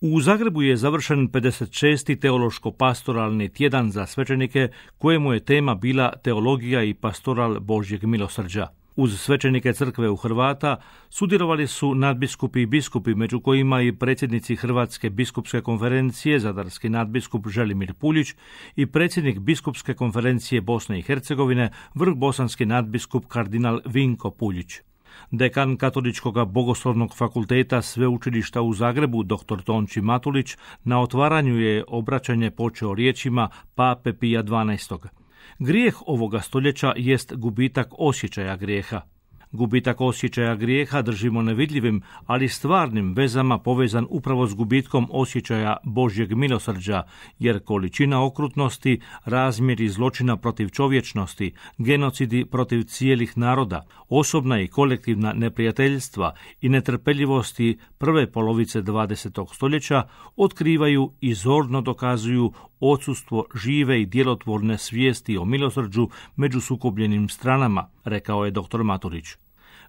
U Zagrebu je završen 56. teološko-pastoralni tjedan za svećenike, kojemu je tema bila teologija i pastoral Božjeg milosrđa. Uz svećenike crkve u Hrvata sudjelovali su nadbiskupi i biskupi, među kojima i predsjednici Hrvatske biskupske konferencije, zadarski nadbiskup Želimir Puljić i predsjednik biskupske konferencije Bosne i Hercegovine, vrhbosanski nadbiskup kardinal Vinko Puljić. Dekan Katoličkog bogoslovnog fakulteta Sveučilišta u Zagrebu, dr. Tonči Matulić, na otvaranju je obraćanje počeo riječima Pape Pija XII. Grijeh ovoga stoljeća jest gubitak osjećaja grijeha. Gubitak osjećaja grijeha držimo nevidljivim, ali stvarnim vezama povezan upravo s gubitkom osjećaja Božjeg milosrđa, jer količina okrutnosti, razmjeri zločina protiv čovječnosti, genocidi protiv cijelih naroda, osobna i kolektivna neprijateljstva i netrpeljivosti prve polovice 20. stoljeća otkrivaju i zorno dokazuju odsustvo žive i djelotvorne svijesti o milosrđu među sukobljenim stranama, rekao je dr. Maturić.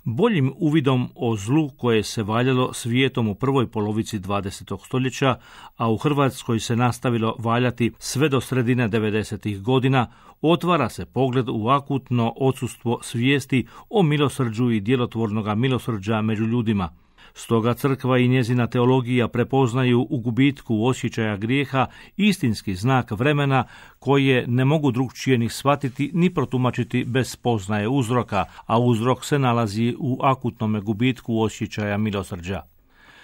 Boljim uvidom o zlu koje se valjalo svijetom u prvoj polovici 20. stoljeća, a u Hrvatskoj se nastavilo valjati sve do sredine 90. godina, otvara se pogled u akutno odsustvo svijesti o milosrđu i djelotvornoga milosrđa među ljudima. Stoga crkva i njezina teologija prepoznaju u gubitku osjećaja grijeha istinski znak vremena koje ne mogu drugčije ni shvatiti ni protumačiti bez spoznaje uzroka, a uzrok se nalazi u akutnome gubitku osjećaja milosrđa.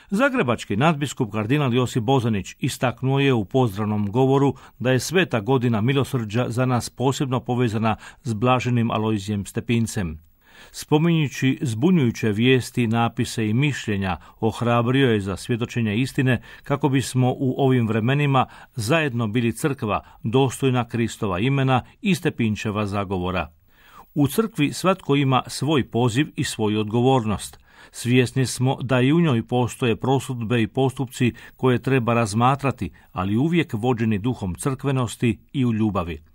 Zagrebački nadbiskup kardinal Josip Bozanić istaknuo je u pozdravnom govoru da je sveta godina milosrđa za nas posebno povezana s blaženim Alojzijem Stepincem. Spominjući zbunjujuće vijesti, napise i mišljenja, ohrabrio je za svjedočenje istine kako bismo u ovim vremenima zajedno bili crkva dostojna Kristova imena i Stepinčeva zagovora. U crkvi svatko ima svoj poziv i svoju odgovornost. Svjesni smo da i u njoj postoje prosudbe i postupci koje treba razmatrati, ali uvijek vođeni duhom crkvenosti i u ljubavi.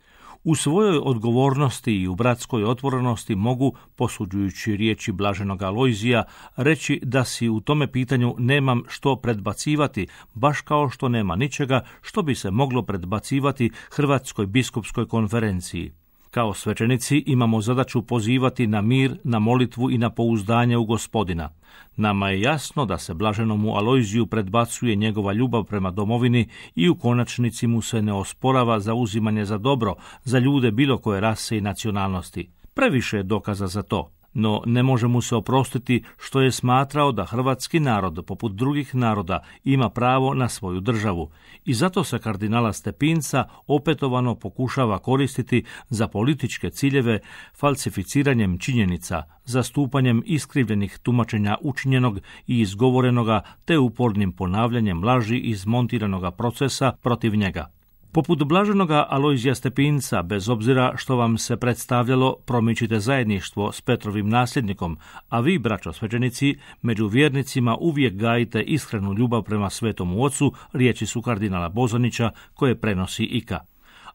U svojoj odgovornosti i u bratskoj otvorenosti mogu, posuđujući riječi blaženog Alojzija, reći da si u tome pitanju nemam što predbacivati, baš kao što nema ničega što bi se moglo predbacivati Hrvatskoj biskupskoj konferenciji. Kao svećenici imamo zadaću pozivati na mir, na molitvu i na pouzdanje u Gospodina. Nama je jasno da se blaženomu Alojziju predbacuje njegova ljubav prema domovini i u konačnici mu se ne osporava zauzimanje za dobro, za ljude bilo koje rase i nacionalnosti. Previše je dokaza za to. No ne može mu se oprostiti što je smatrao da hrvatski narod, poput drugih naroda, ima pravo na svoju državu. I zato se kardinala Stepinca opetovano pokušava koristiti za političke ciljeve falsificiranjem činjenica, zastupanjem iskrivljenih tumačenja učinjenog i izgovorenoga te upornim ponavljanjem laži iz montiranoga procesa protiv njega. Poput blaženoga Alojzija Stepinca, bez obzira što vam se predstavljalo, promičite zajedništvo s Petrovim nasljednikom, a vi, braćo svećenici, među vjernicima uvijek gajite iskrenu ljubav prema Svetomu Ocu, riječi su kardinala Bozanića koje prenosi Ika.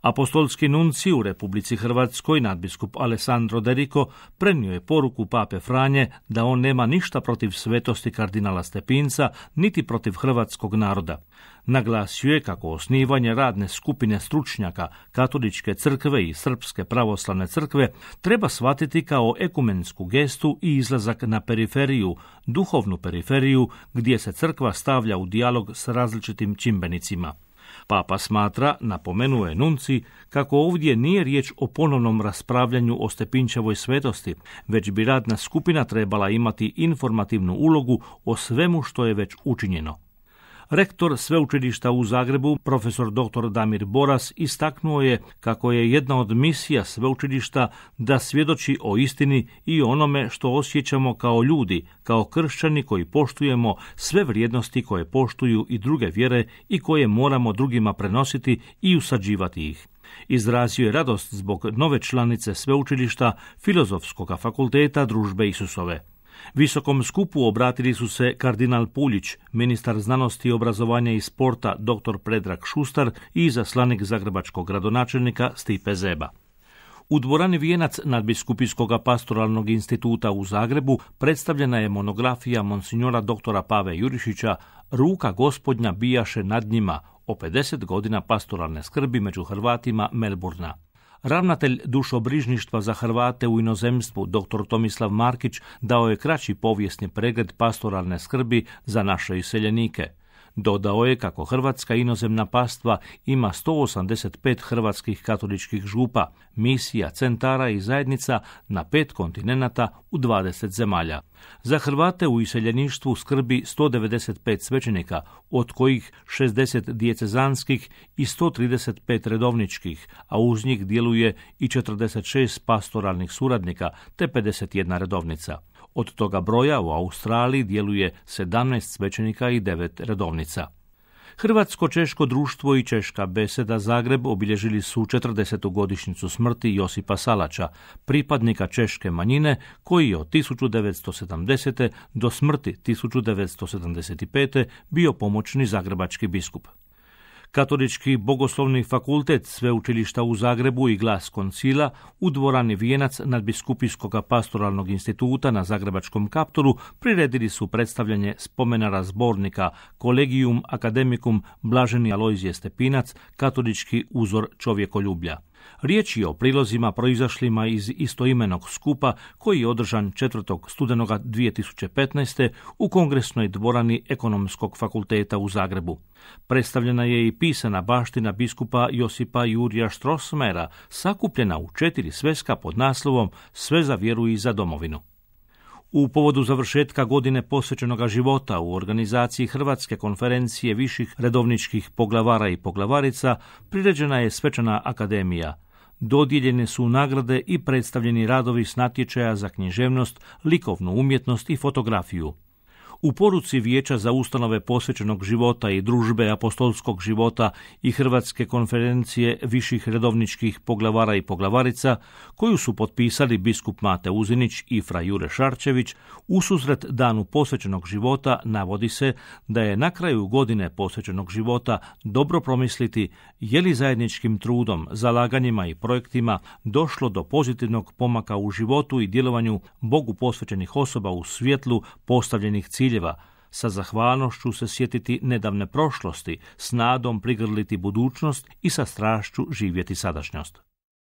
Apostolski nunci u Republici Hrvatskoj, nadbiskup Alessandro Derico, prenio je poruku pape Franje da on nema ništa protiv svetosti kardinala Stepinca, niti protiv hrvatskog naroda. Naglasio je kako osnivanje radne skupine stručnjaka Katoličke crkve i Srpske pravoslavne crkve treba shvatiti kao ekumensku gestu i izlazak na periferiju, duhovnu periferiju, gdje se crkva stavlja u dijalog s različitim čimbenicima. Papa smatra, napomenuo je nunci, kako ovdje nije riječ o ponovnom raspravljanju o Stepinčevoj svetosti, već bi radna skupina trebala imati informativnu ulogu o svemu što je već učinjeno. Rektor Sveučilišta u Zagrebu, profesor dr. Damir Boras, istaknuo je kako je jedna od misija sveučilišta da svjedoči o istini i onome što osjećamo kao ljudi, kao kršćani koji poštujemo sve vrijednosti koje poštuju i druge vjere i koje moramo drugima prenositi i usađivati ih. Izrazio je radost zbog nove članice sveučilišta Filozofskog fakulteta Družbe Isusove. Visokom skupu obratili su se kardinal Puljić, ministar znanosti, obrazovanja i sporta dr. Predrag Šustar i izaslanik zagrebačkog gradonačelnika Stipe Zeba. U dvorani Vijenac Nadbiskupijskog pastoralnog instituta u Zagrebu predstavljena je monografija monsignora doktora Pave Jurišića Ruka Gospodnja bijaše nad njima o 50 godina pastoralne skrbi među Hrvatima Melburna. Ravnatelj dušobrižništva za Hrvate u inozemstvu dr. Tomislav Markić dao je kraći povijesni pregled pastoralne skrbi za naše iseljenike. Dodao je kako hrvatska inozemna pastva ima 185 hrvatskih katoličkih župa, misija, centara i zajednica na 5 kontinenata u 20 zemalja. Za Hrvate u iseljeništvu skrbi 195 svećenika, od kojih 60 dijecezanskih i 135 redovničkih, a uz njih djeluje i 46 pastoralnih suradnika te 51 redovnica. Od toga broja u Australiji djeluje 17 svećenika i 9 redovnica. Hrvatsko-češko društvo i Češka beseda Zagreb obilježili su 40. godišnjicu smrti Josipa Salača, pripadnika češke manjine koji je od 1970. do smrti 1975. bio pomoćni zagrebački biskup. Katolički bogoslovni fakultet Sveučilišta u Zagrebu i Glas koncila u dvorani Vijenac Nadbiskupijskog pastoralnog instituta na Zagrebačkom Kaptolu priredili su predstavljanje spomenara zbornika Collegium Academicum Blaženi Alojzije Stepinac, katolički uzor čovjekoljublja. Riječ je o prilozima proizašlima iz istoimenog skupa koji je održan 4. studenoga 2015. u kongresnoj dvorani Ekonomskog fakulteta u Zagrebu. Predstavljena je i pisana baština biskupa Josipa Jurija Strossmayera, sakupljena u 4 sveska pod naslovom Sve za vjeru i za domovinu. U povodu završetka godine posvećenoga života u organizaciji Hrvatske konferencije viših redovničkih poglavara i poglavarica priređena je svečana akademija. Dodijeljene su nagrade i predstavljeni radovi s natječaja za književnost, likovnu umjetnost i fotografiju. U poruci Vijeća za ustanove posvećenog života i družbe apostolskog života i Hrvatske konferencije viših redovničkih poglavara i poglavarica, koju su potpisali biskup Mate Uzinić i fra Jure Šarčević, ususret danu posvećenog života navodi se da je na kraju godine posvećenog života dobro promisliti je li zajedničkim trudom, zalaganjima i projektima došlo do pozitivnog pomaka u životu i djelovanju Bogu posvećenih osoba u svjetlu postavljenih ciljeva, sa zahvalnošću se sjetiti nedavne prošlosti, s nadom prigrliti budućnost i sa strašću živjeti sadašnjost.